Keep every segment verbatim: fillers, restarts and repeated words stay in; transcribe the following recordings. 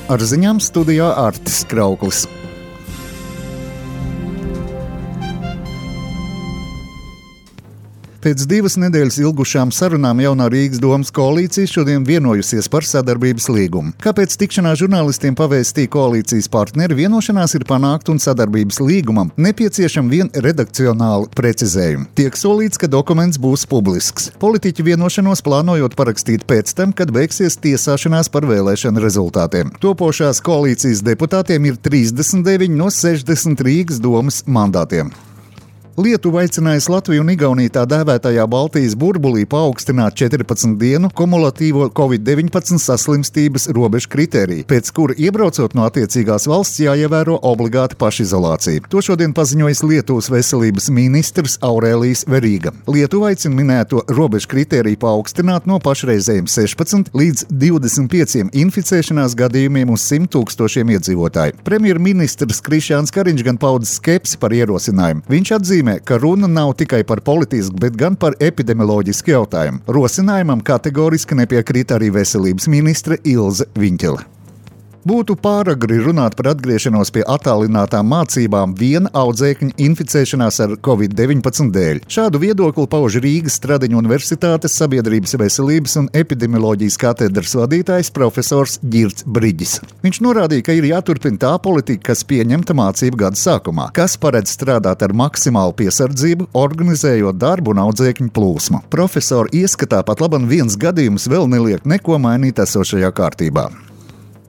Ar ziņām studijā Artis Krauklis. Pēc divas nedēļas ilgušām sarunām jaunā Rīgas domas koalīcija šodien vienojusies par sadarbības līgumu. Kāpēc tikšanās žurnālistiem pavēstīja koalīcijas partneri, vienošanās ir panākt un sadarbības līgumam nepieciešama vien redakcionāla precizējuma. Tiek solīts, ka dokuments būs publisks. Politiķi vienošanos plānojot parakstīt pēc tam, kad beigsies tiesāšanās par vēlēšanu rezultātiem. Topošās koalīcijas deputātiem ir trīsdesmit deviņi no sešdesmit Rīgas domas mandātiem. Lietuva aicinājusi Latviju un Igauniju tā dēvētajā Baltijas burbulī paaugstināt četrpadsmit dienu kumulatīvo covid deviņpadsmit saslimstības robežu kritēriju, pēc kura iebraucot no attiecīgās valsts jāievēro obligāta pašizolācija. To šodien paziņojis Lietuvas veselības ministrs Aurēlijs Verīga. Lietuva aicina minēto robežu kritēriju paaugstināt no pašreizējiem sešpadsmit līdz divdesmit pieciem inficēšanās gadījumiem uz simt tūkstošiem iedzīvotāju. Premjerministrs Krišjāns Kariņš gan pauda skepsi par ierosinājumu. Viņš atzīmē, ka runa nav tikai par politisku, bet gan par epidemioloģisku jautājumu. Rosinājumam kategoriski nepiekrīt arī veselības ministre Ilze Viņķele. Būtu pāragri runāt par atgriešanos pie attālinātām mācībām viena audzēkņa inficēšanās ar covid deviņpadsmit dēļ. Šādu viedokli pauž Rīgas Stradiņu Universitātes sabiedrības veselības un epidemioloģijas katedras vadītājs profesors Ģirts Briģis. Viņš norādīja, ka ir jāturpina tā politika, kas pieņemta mācību gada sākumā, kas paredz strādāt ar maksimālu piesardzību, organizējot darbu un audzēkņu plūsmu. Profesora ieskatā pat laban viens gadījums vēl neliek neko mainīt esošajā kārtībā.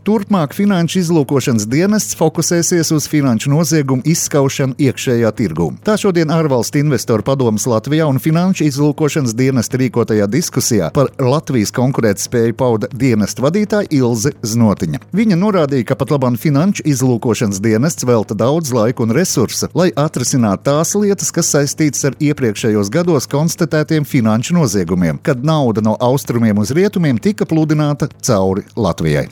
Turpmāk Finanšu izlūkošanas dienests fokusēsies uz finanšu noziegumu izskaušanu iekšējā tirgū. Tā šodien ārvalstu investoru padomes Latvijā un Finanšu izlūkošanas dienesta rīkotajā diskusijā par Latvijas konkurētspēju pauda dienesta vadītāja Ilze Znotiņa. Viņa norādīja, ka pat labam Finanšu izlūkošanas dienests velta daudz laika un resursa, lai atrisinātu tās lietas, kas saistītas ar iepriekšējos gados konstatētiem finanšu noziegumiem, kad nauda no austrumiem uz rietumiem tika pludināta cauri Latvijai.